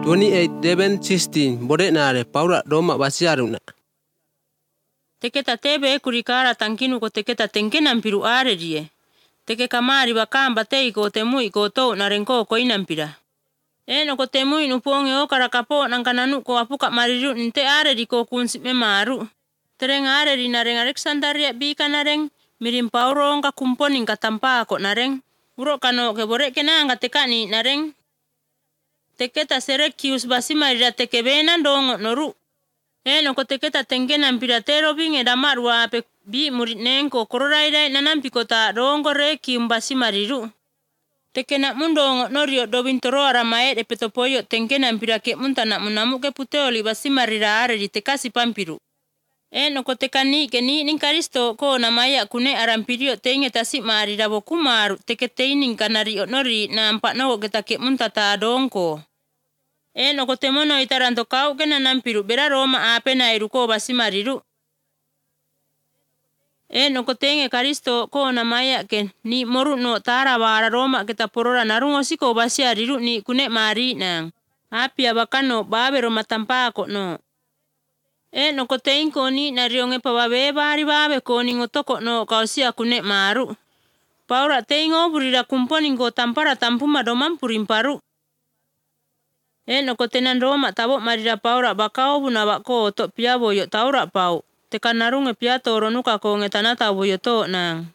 28:16 bode nare Paula Roma basiaruna. Teke tatebe kurikara tankinu ko teke tatenkenan piru are die. Teke kamari bakamba tei ko temui ko to narenko ko inampira. Eno ko temui nuponge o karakapo nang kananu ko apuka mariru nte are di ko kunsi memaru. Tereng are di nareng Alexandaria bika nareng mirim Paulo ka kumponing katampa ko nareng. Uro kano ke bore kenanga tekani nareng. Teke ta Syracuse basimarira teke benan dongo noru. Eno ko teke ta tenkenan piratero binge damarwa pe bi murit nengko kororaidai nanampi kota dongo reki basimariru. Teke nak mundongo norio dobintoro aramae de petopoyo tenkenan pirake muntana munamu ke puteoli basimarira are di tekasi pampiru. Eno ko tekani keni ning karisto ko namaya kune arampirio tenge tasi marira bokumaru teke teining kanario nori nampak no ketake muntata dongko. Eno ko temono itaranto kau kena nampiru bera Roma ape na iruko basimariru. Eno ko tenge karisto ko namaya ken ni moru no tarawara Roma kita porora narungo siko basiariru ni kune mari nang. Api abakano babe Roma tampako no. Eno ko tengko ni narionge pababe bari babe ko ni ngotoko no kausia kune maru. Paura tengo burira kumponing ko tampara tampuma domam purimparu. Eno ko tenan Roma tabo marira Paura bakao bunawa ko to piabo yo taura pau. Tekan narunge piato ronuka ko ngetanata boyo to nang.